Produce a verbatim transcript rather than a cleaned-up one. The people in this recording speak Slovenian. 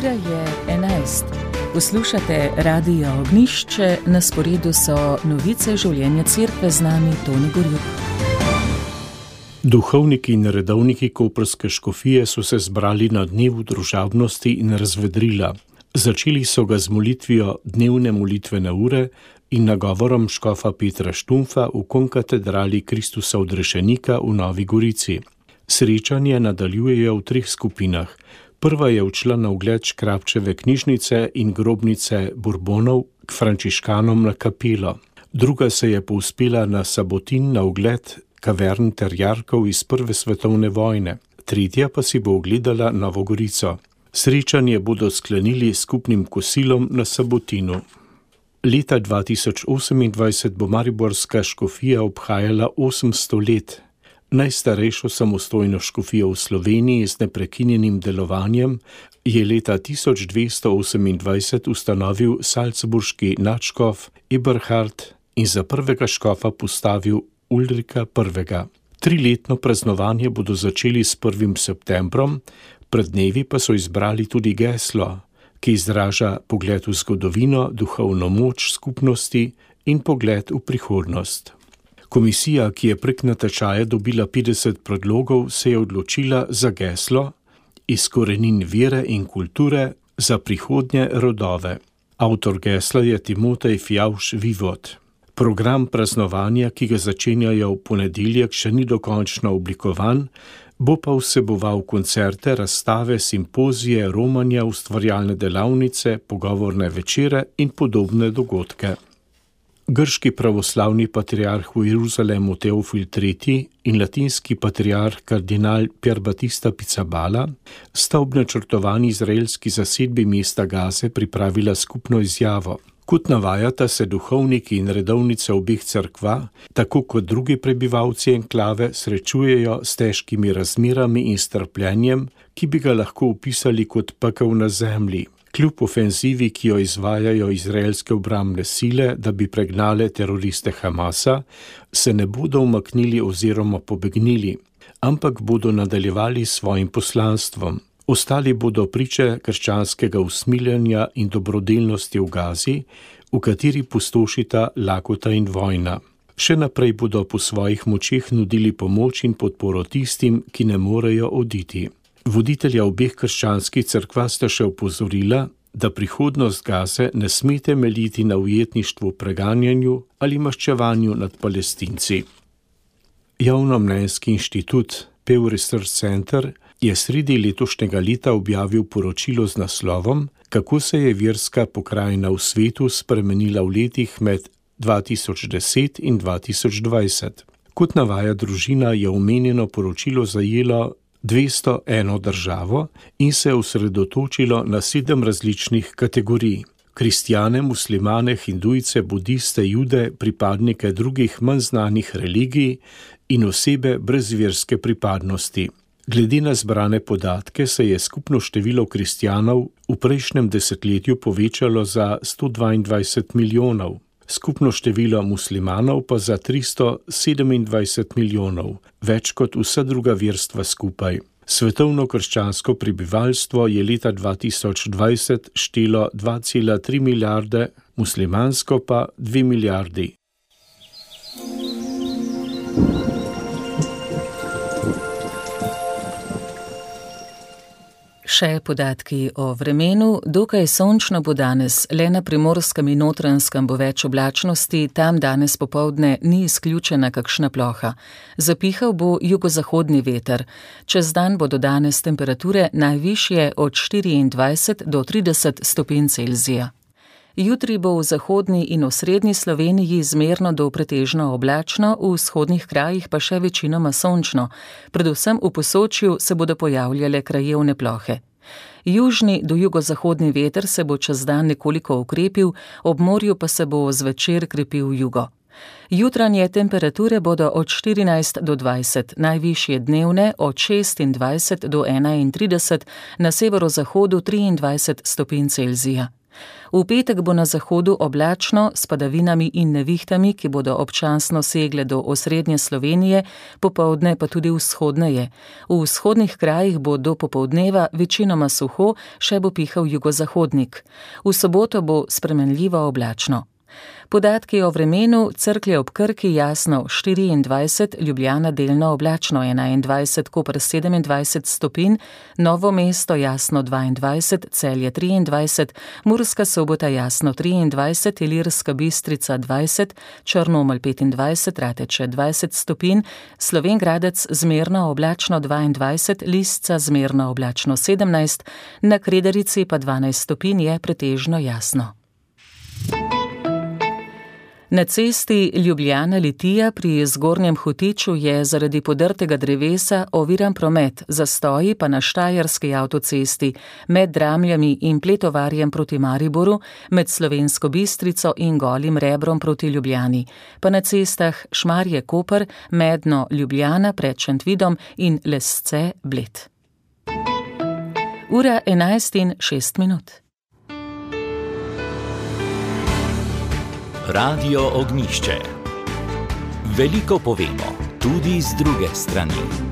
Ura je enajst. Poslušate Radio Ognjišče, na sporedu so novice življenja cerkve, z nami Toni Gorjup. Duhovniki in redovniki koprske škofije so se zbrali na dnevu družabnosti in razvedrila. Začeli so ga z molitvijo dnevne molitvene ure in nagovorom škofa Petra Štumfa v konkatedrali Kristusa Odrešenika v Novi Gorici. Srečanje nadaljujejo v treh skupinah. Prva je odšla na ogled Škrabčeve knjižnice in grobnice Burbonov k frančiškanom na kapelo. Druga se je povzpela na Sabotin na ogled kavern ter jarkov iz prve svetovne vojne. Tretja pa si bo ogledala Novo Gorico. Srečanje bodo sklenili skupnim kosilom na Sabotinu. Leta dva tisoč osemindvajset bo mariborska škofija obhajala osemsto let. Najstarejšo samostojno škofijo v Sloveniji z neprekinjenim delovanjem je leta tisoč dvesto osemindvajset ustanovil salzburški nadškof Eberhard in za prvega škofa postavil Ulrika prvega. Triletno praznovanje bodo začeli s prvim septembrom, pred dnevi pa so izbrali tudi geslo, ki izraža pogled v zgodovino, duhovno moč skupnosti in pogled v prihodnost. Komisija, ki je prek natečaja dobila petdeset predlogov, se je odločila za geslo iz korenin vere in kulture za prihodnje rodove. Avtor gesla je Timotej Fjauš Vivot. Program praznovanja, ki ga začenjajo v ponedeljek, še ni dokončno oblikovan, bo pa vseboval koncerte, razstave, simpozije, romanja, ustvarjalne delavnice, pogovorne večere in podobne dogodke. Grški pravoslavni patriarh v Jeruzalemu Teofil tretji in latinski patriarh kardinal Pier Battista Pizzaballa sta ob načrtovani izraelski zasedbi mesta Gaze pripravila skupno izjavo. Kot navajata, se duhovniki in redovnice obeh cerkva, tako kot drugi prebivalci enklave, srečujejo s težkimi razmerami in strpljenjem, ki bi ga lahko opisali kot pekel na zemlji. Kljub ofenzivi, ki jo izvajajo izraelske obrambne sile, da bi pregnale teroriste Hamasa, se ne bodo umaknili oziroma pobegnili, ampak bodo nadaljevali s svojim poslanstvom. Ostali bodo priče krščanskega usmiljenja in dobrodelnosti v Gazi, v kateri pustošita lakota in vojna. Še naprej bodo po svojih močeh nudili pomoč in podporo tistim, ki ne morejo oditi. Voditelja obeh krščanskih cerkva sta še opozorila, da prihodnost Gaze ne sme temeljiti na ujetništvu, preganjanju ali maščevanju nad Palestinci. Javnomnenjski inštitut Pew Research Center je sredi letošnjega leta objavil poročilo z naslovom Kako se je verska pokrajina v svetu spremenila v letih med dva tisoč deset in dva tisoč dvajset. Kot navaja družina, je omenjeno poročilo zajelo dvesto eno državo in se osredotočilo na sedem različnih kategorij. Kristjane, muslimane, hindujce, budiste, jude, pripadnike drugih manj znanih religij in osebe brez verske pripadnosti. Glede na zbrane podatke se je skupno število kristjanov v prejšnjem desetletju povečalo za sto dvaindvajset milijonov, skupno število muslimanov pa za tristo sedemindvajset milijonov, več kot vsa druga verstva skupaj. Svetovno krščansko prebivalstvo je leta dva tisoč dvajset štelo dva cela tri milijarde, muslimansko pa dve milijardi. Še podatki o vremenu. Dokaj sončno bo danes, le na Primorskem in Notranjskem bo več oblačnosti, tam danes popoldne ni izključena kakšna ploha. Zapihal bo jugozahodni veter. Čez dan bodo danes temperature najvišje od štiriindvajset do trideset stopinj Celzija. Jutri bo v zahodni in osrednji Sloveniji zmerno do pretežno oblačno, v vzhodnih krajih pa še večinoma sončno. Predvsem v Posočju se bodo pojavljale krajevne plohe. Južni do jugozahodni veter se bo čez dan nekoliko okrepil, ob morju pa se bo zvečer krepil jugo. Jutranje temperature bodo od štirinajst do dvajset, najvišje dnevne od šestindvajset do enaintrideset, na severozahodu triindvajset stopinj Celzija. V petek bo na zahodu oblačno s padavinami in nevihtami, ki bodo občasno segle do osrednje Slovenije, popoldne pa tudi vzhodneje. V vzhodnih krajih bo do popoldneva večinoma suho, še bo pihal jugozahodnik. V soboto bo spremenljivo oblačno. Podatki o vremenu: Cerklje ob Krki jasno štiriindvajset, Ljubljana delno oblačno enaindvajset, Koper sedemindvajset stopinj, Novo mesto jasno dvaindvajset, Celje triindvajset, Murska Sobota jasno triindvajset, Ilirska Bistrica dvajset, Črnomelj petindvajset, Rateče dvajset stopinj, Slovenj Gradec zmerno oblačno dvaindvajset, Lisca zmerno oblačno sedemnajst, na Kredarici pa dvanajst stopinj, je pretežno jasno. Na cesti Ljubljana-Litija pri Zgornjem Hotiču je zaradi podrtega drevesa oviran promet, zastoji pa na Štajerski avtocesti med Dramljami in Pletovarjem proti Mariboru, med Slovensko Bistrico in Golim Rebrom proti Ljubljani, pa na cestah Šmarje-Koper, Medno-Ljubljana pred Šentvidom in Lesce-Bled. Ura enajst in šest minut. Radio Ognjišče. Veliko povemo, tudi z druge strani.